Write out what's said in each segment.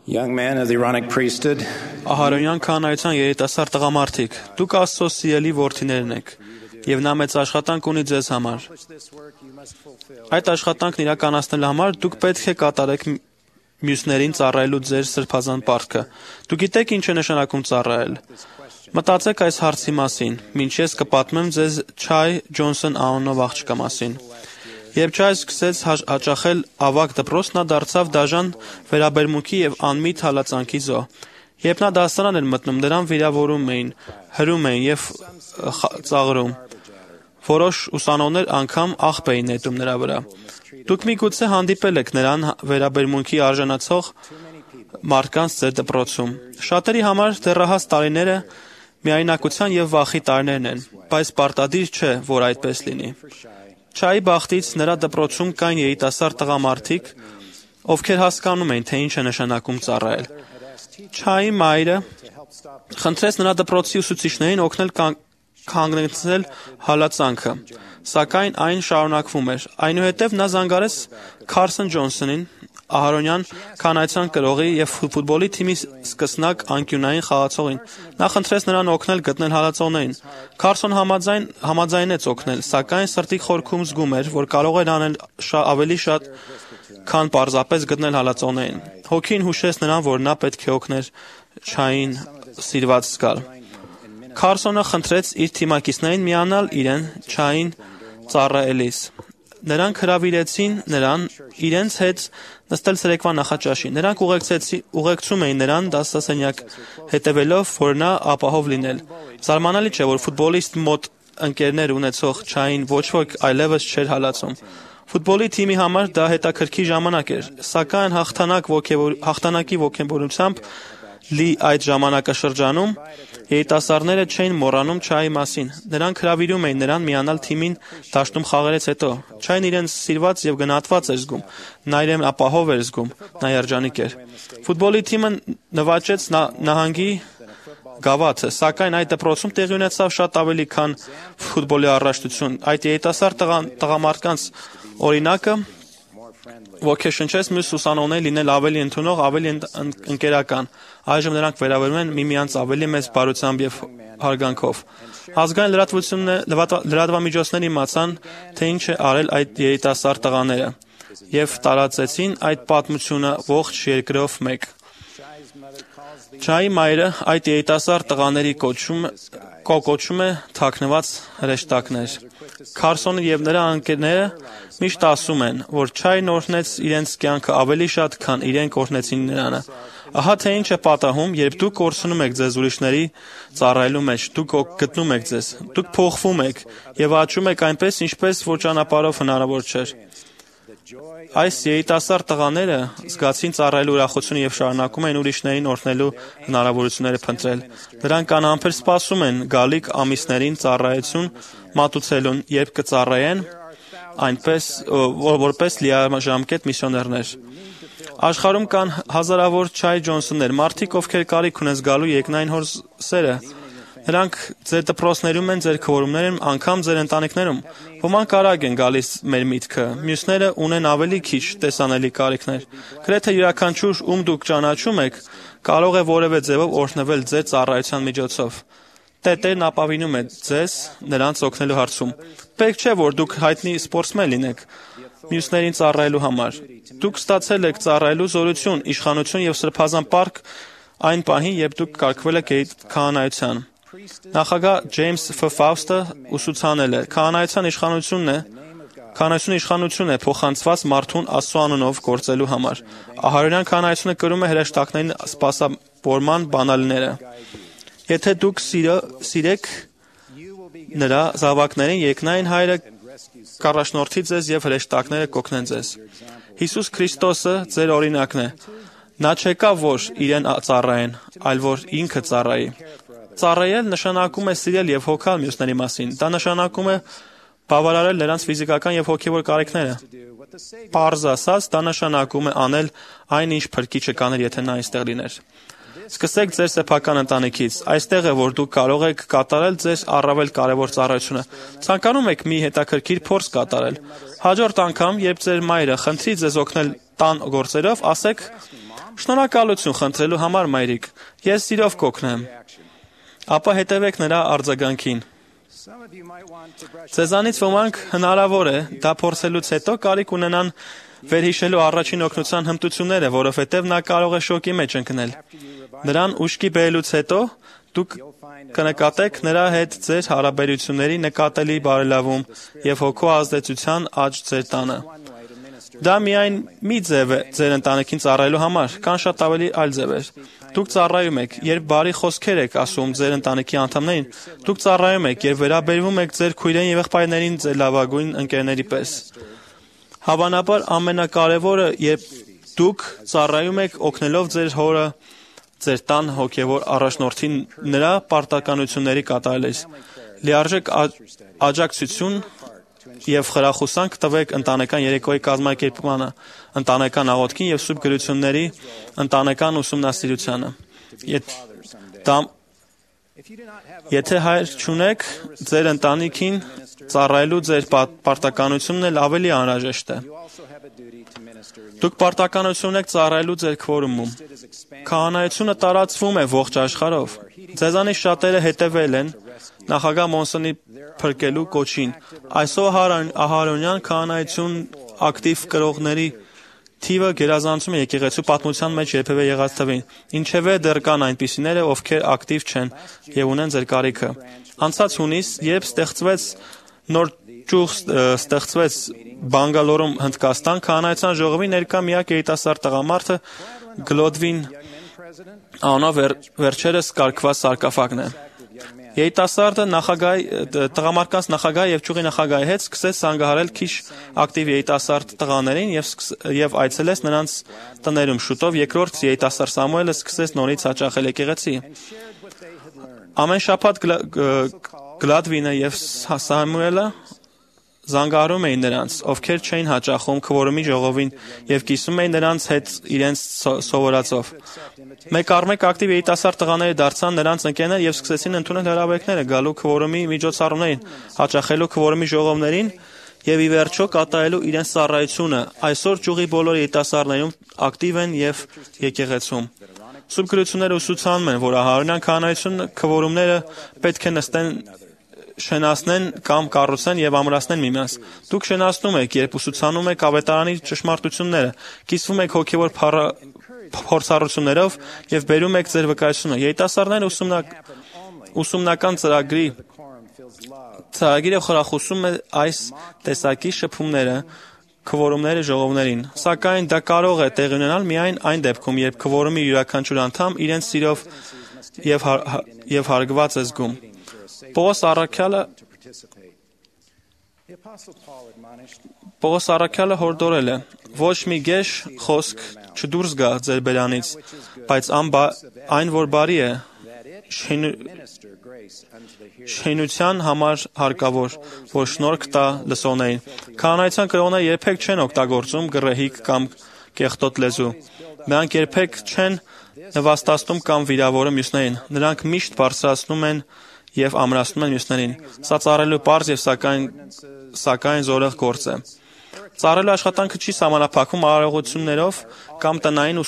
Young men of the Aaronic priesthood, Ահարոնյան քահանայության երիտասարդ տղամարդիկ, դուք Աստծո սիրելի որդիներն եք, եւ նա մեծ աշխատանք ունի ձեզ համար։ Այդ աշխատանքն իրականացնելու համար դուք պետք է կատարեք մյուսներին ծառայելու ձեր սրբազան պարտքը։ Դուք գիտեք ինչ է նշանակում ծառայել։ Մտածեք այս հարցի մասին, մինչ ես կպատմեմ ձեզ Չայ Ջոնսոն անունով աղջկա մասին։ Երբ Չայ սկսեց հաճախել ավագ դպրոց, նա դարձավ դաժան վերաբերմունքի եւ անմիտ հալածանքի զոհ։ Երբ նա դասարան էր մտնում, նրան վիրավորում էին, հրում էին եւ ծաղրում։ Որոշ ուսանողներ անգամ աղբ էին նետում նրա վրա։ Դուք միգուցե հանդիպել եք նրան վերաբերմունքի արժանացող մարդկանց ձեր դպրոցում։ Շատերի համար դեռահաս տարիները միայնակության եւ վախի տարիներն են, բայց պարտադիր չէ, որ այդպես լինի։ Չայի բախտից նրա դպրոցում կային երիտասարդ տղամարդիկ, ովքեր հասկանում էին, թե ինչ է նշանակում ծառայել։ Չայի մայրը խնդրեց նրա դպրոցի ուսուցիչներին օգնել կանգնեցնել հալածանքը, սակայն այն շարունակվում էր։ Այնուհետև նա զանգարեց Քարսոն Ջոնսոնին, Ահարոնյան քահանայության կրողի եւ ֆուտբոլի թիմի սկսնակ անկյունային խաղացողին։ Նա խնդրեց նրան օգնել գտնել հալածողներին։ Քարսոն համաձայնեց օգնել, սակայն սրտի խորքում զգում էր, որ կարող էր անել ավելի շատ, քան պարզապես գտնել հալածողներին։ Հոգին հուշեց նրան, որ նա պետք է օգներ Չային սիրված զգալ։ Քարսոնը խնդրեց իր թիմակիցներին միանալ իրեն Չային ծառայելիս։ Նրանք հրավիրեցին նրան իրենց հետ նստել ցերեկվա նախաճաշին։ Նրանք ուղեկցում էին նրան դասասենյակ, հետևելով, որ նա ապահով լինել։ Զարմանալի չէ, որ ֆուտբոլիստ մոտ ընկերներ ունեցող Չային ոչ ոք այլևս չէր հալածում։ Ֆուտբոլի թիմի համար դա հետաքրքիր ժամանակ էր, սակայն հաղթանակի ոգևորությամբ լի այդ ժամանակաշրջանում երիտասարդները չէին մոռանում Չայի մասին։ Նրանք հրավիրում էին նրան միանալ թիմին դաշտում խաղերից հետո։ Չային իրեն սիրված եւ գնահատված էր զգում։ Նա իրեն ապահով էր զգում։ Նա երջանիկ էր։ Ֆուտբոլի թիմը նվաճեց նահանգի գավաթը, սակայն այդ դպրոցում տեղի ունեցավ շատ ավելի, քան ֆուտբոլի առաջնություն։ Այդ երիտասարդ տղամարդկանց օրինակը ոգեշնչեց մյուս ուսանողներին լինել ավելի ընդունող, ավելի ընկերական։ Այժմ նրանք վերաբերում են միմյանց ավելի մեծ բարությամբ եւ հարգանքով։ Ազգային լրատվամիջոցները իմացան, թե ինչ է արել այդ երիտասարդ տղաները եւ տարածեցին այդ պատմությունը ողջ երկրով մեկ։ Չայի մայրը այդ երիտասարդ տղաների կոչում է թաքնված հրեշտակներ։ Քարսոնը եւ նրա ընկերները միշտ ասում են, որ Չային օրհնեց իրենց կյանքը ավելի շատ, քան իրենք օրհնեցին նրան։ Ահա թե ինչ է պատահում, երբ դուք կորցնում եք ձեզ ուրիշների ծառայելու մեջ, դուք գտնում եք ձեզ, դուք փոխվում եք եւ աճում եք այնպես, ինչպես որ ճանապարհով հնարավոր չէր։ Այս երիտասարդ տղաները զգացին ծառայելու ուրախությունը եւ շարունակում են ուրիշներին օրհնելու հնարավորությունները փնտրել։ Նրանք անհամբեր սպասում են գալիք ամիսներին ծառայություն մատուցելուն, երբ կծառայեն այնպես որպես լիաժամկետ միսիոներներ։ Աշխարհում կան հազարավոր Չայ Ջոնսոններ, մարդիկ, ովքեր կարիք ունեն զգալու երկնային հոր սերը։ Նրանք ձեր դպրոցներում են, ձեր քվորումներում, անգամ ձեր ընտանիքներում։ Ոմանք արագ են գալիս մեր միտքը, մյուսները ունեն ավելի քիչ տեսանելի կարիքներ։ Գրեթե յուրաքանչյուր ում դուք ճանաչում եք, կարող է որևէ ձևով օրհնվել ձեր ծառայության միջոցով։ Տերն ապավինում է ձեզ նրանց օգնելու հարցում։ Պետք չէ, որ դուք հայտնի սպորտսմեն լինեք մյուսներին ծառայելու համար։ Դուք ստացել եք ծառայելու զորություն, իշխանություն եւ սրբազան պարտք այն պահին, երբ դուք կարգվել եք քահանայության։ Նախագահ Ջեյմս Ֆաուստը ուսուցանել է. քահանայության իշխանություն է փոխանցված մարդուն Աստծո անունով գործելու համար։ Ահարոնյան քահանայությունը կրում է հրեշտակներին սպասավորման բանալիները։ Եթե դուք սիրեք նրա զավակներին, երկնային Հայրը կառաջնորդի ձեզ եւ հրեշտակները կօգնեն ձեզ։ Հիսուս Քրիստոսը ձեր օրինակն է։ Նա չեկավ, որ իրեն ծառայեն, այլ որ ինքը ծառայի։ Ծառայել նշանակում է սիրել եւ հոգալ մյուսների մասին։ Դա նշանակում է բավարարել նրանց ֆիզիկական եւ հոգեվոր կարիքները։ Պարզ ասած, դա նշանակում է անել այն, ինչ Փրկիչը կաներ, եթե նա այստեղ լիներ։ Սկսեք ձեր սեփական ընտանիքից։ Այստեղ է, որ դուք կարող եք կատարել ձեր առավել կարևոր ծառայությունը։ Ցանկանում եք մի հետաքրքիր փորձ կատարել։ Հաջորդ անգամ, երբ ձեր մայրը խնդրի ձեզ օգնել տան գործերով, ասեք. Շնորհակալություն խնդրելու համար, մայրիկ, ես սիրով կօգնեմ։ Ապա հետևեք նրա արձագանքին։ Ձեզանից ոմանք հնարավոր է դա փորձելուց հետո կարիք ունենան վերհիշելու առաջին օգնության հմտությունները, որովհետև նա կարող է շոկի մեջ ընկնել։ Նրան ուշքի բերելուց հետո դուք կնկատեք նրա հետ ձեր հարաբերությունների նկատելի բարելավում եւ հոգու ազդեցության աճ ձեր տանը։ Դա միայն մի ձև է ձեր ընտանիքին ծառայելու համար, կան շատ ավելի այլ ձևեր։ Դուք ծառայում եք, երբ բարի խոսքեր եք ասում ձեր ընտանիքի անդամներին, դուք ծառայում եք, երբ վերաբերվում եք ձեր քույրերին եւ եղբայրներին ձեր լավագույն ընկերների պես։ Հավանաբար ամենակարևորը, երբ դուք ծառայում եք օգնելով ձեր հորը, ձեր տան հոգևոր առաջնորդին նրա պարտականությունների կատարելիս։ Լիարժեք աջակցություն եւ խրախուսանք տվեք ընտանեկան երեկոյի կազմակերպմանը, ընտանեկան աղոթքին եւ սուրբ գրությունների ընտանեկան ուսումնասիրությանը։ Եթե հայր չունեք, ձեր ընտանիքին ծառայելու ձեր պարտականությունն էլ ավելի անհրաժեշտ է։ Դուք պարտականություն ունեք ծառայելու ձեր քվորումում։ Քահանայությունը տարածվում է ողջ աշխարհով։ Ձեզանից շատերը հետևել են նախագահ Մոնսոնի փրկելու կոչին։ Այսօր Ահարոնյան քահանայություն ակտիվ կրողների թիվը գերազանցում է եկեղեցու պատմության մեջ երբևէ եղած թվին։ Ինչևէ դեռ կան այնպիսիները, ովքեր ակտիվ չեն եւ ունեն ձեր կարիքը։ Անցած հունիս, երբ նոր ճյուղ ստեղծվեց Բանգալորում, Հնդկաստան, քահանայության ժողովի ներկա միակ երիտասարդ տղամարդը Գլոդվին անունով վերջերս կարգված սարկաֆագն է։ Երիտասարդը տղամարդկանց նախագահ եւ ճյուղի նախագահի հետ սկսեց զանգահարել քիչ ակտիվ երիտասարդ տղաներին եւ այցելեց նրանց տներում։ Շուտով երկրորդ երիտասարդ Սամուելը սկսեց նորից հաճախել եկեղեցի։ Ամեն շաբաթ Գլադվինը եւ Սամուելը զանգահարում էին նրանց, ովքեր չէին հաճախում քվորումի ժողովին եւ կիսում էին նրանց հետ իրենց սովորածով։ Մեկ առ մեկ ակտիվ երիտասարդ տղաները դարձան նրանց ընկերներ եւ սկսեցին ընդունել հրավերները գալու քվորումի միջոցառումներին, հաճախելու քվորումի ժողովներին եւ ի վերջո կատարելու իրենց ծառայությունը։ Այսօր ճյուղի բոլոր երիտասարդներում ակտիվ են եւ եկեղեցում։ Սուրբ գրությունները ուսուցանում են, որ Ահարոնյան քահանայությունը քվորումները պետք է շենացնեն կամ կառուցեն եւ ամրացնեն միմյանց։ Դուք շենացնում եք, երբ ուսուցանում եք ավետարանի ճշմարտությունները, կիսվում եք հոգևոր փորձառություններով եւ բերում եք ձեր վկայությունը։ Երիտասարդները ուսումնական ծրագիրը խրախուսում է այս տեսակի շփումները, քվորումները ժողովներին։ Սակայն դա կարող է տեղի ունենալ միայն այն դեպքում, երբ քվորումի յուրաքանչյուր անդամ իրենց սիրով եւ հարգված է զգում։ Պողոս առաքյալը հորդորել է. ոչ մի գեշ խոսք չդուրս գա ձեր բերանից, բայց այն որ բարի է, շինության համար հարկավոր, որ շնորհք տա լսողներին։ Քահանայության կրողները երբեք չեն օգտագործում գռեհիկ կամ կեղտոտ լեզու։ Նրանք երբեք չեն նվաստացնում կամ վիրավորում մյուսներին։ Նրանք միշտ բարձրացնում են եւ ամրացնում են մյուսներին։ Սա ծառայելու պարզ եւ սակայն զորեղ գործ է։ Ծառայելու աշխատանքը չի սահմանափակվում արարողություններով կամ տնային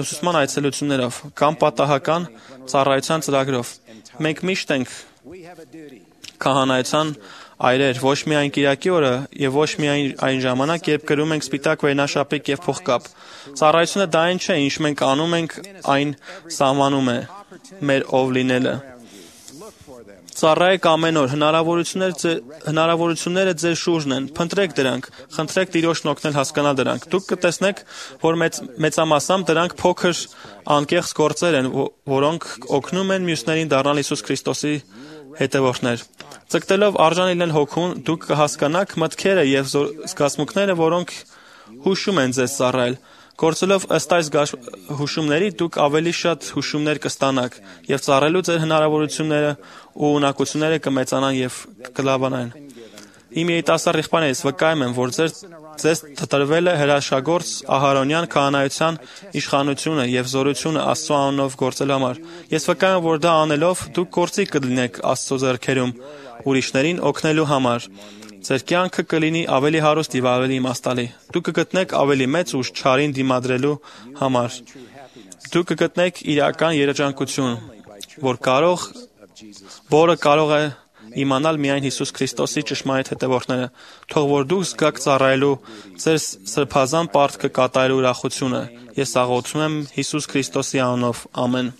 ուսուցման այցելություններով կամ պատահական ծառայության ծրագրով։ Մենք միշտ ենք քահանայության այրեր, ոչ միայն կիրակի օրը եւ ոչ միայն այն ժամանակ, երբ կրում ենք սպիտակ վերնաշապիկ եւ փողկապ։ Ծառայությունը դա այն չէ, ինչ մենք անում ենք, այն սահմանում է մեր ով լինելը։ Ծառայեք ամեն օր, հնարավորությունները ձեր շուրջն են, փնտրեք դրանք, խնդրեք Տիրոջն օգնել հասկանալ դրանք։ Դուք կտեսնեք, որ մեծամասամբ դրանք փոքր անկեղծ գործեր են, որոնք օգնում են մյուսներին դառնալ Հիսուս Քրիստոսի հետևորդներ։ Ձգտելով արժան լինել հոգուն, դուք կհասկանաք մտքերը եւ զգացմունքները, որոնք հուշում են ձեզ ծառայել։ Գործելով ըստ այս հուշումների դուք ավելի շատ հուշումներ կստանաք եւ ծառայելու ձեր հնարավորությունները ու ունակությունները կմեծանան եւ կլավանան։ Իմ երիտասարդ եղբայրներից վկայում եմ, որ ձեզ տրվել է հրաշագործ Ահարոնյան քահանայության իշխանությունը եւ զորությունը Աստծո անունով գործելու համար։ Ես վկայում եմ, որ դա անելով դուք գործիք կլինեք Աստծո ձեռքերում ուրիշներին օգնելու համար Ձեր կյանքը կլինի ավելի հարուստ եւ ավելի իմաստալի։ Դուք կգտնեք ավելի մեծ ուժ չարին դիմադրելու համար։ Դուք կգտնեք իրական երջանկություն, որը կարող է իմանալ միայն Հիսուս Քրիստոսի ճշմարիտ հետևորդները։ Թող որ դուք զգաք ծառայելու ձեր սրբազան պարտքը կատարելու ուրախությունը։ Ես աղոթում եմ Հիսուս Քրիստոսի անունով։ Ամեն։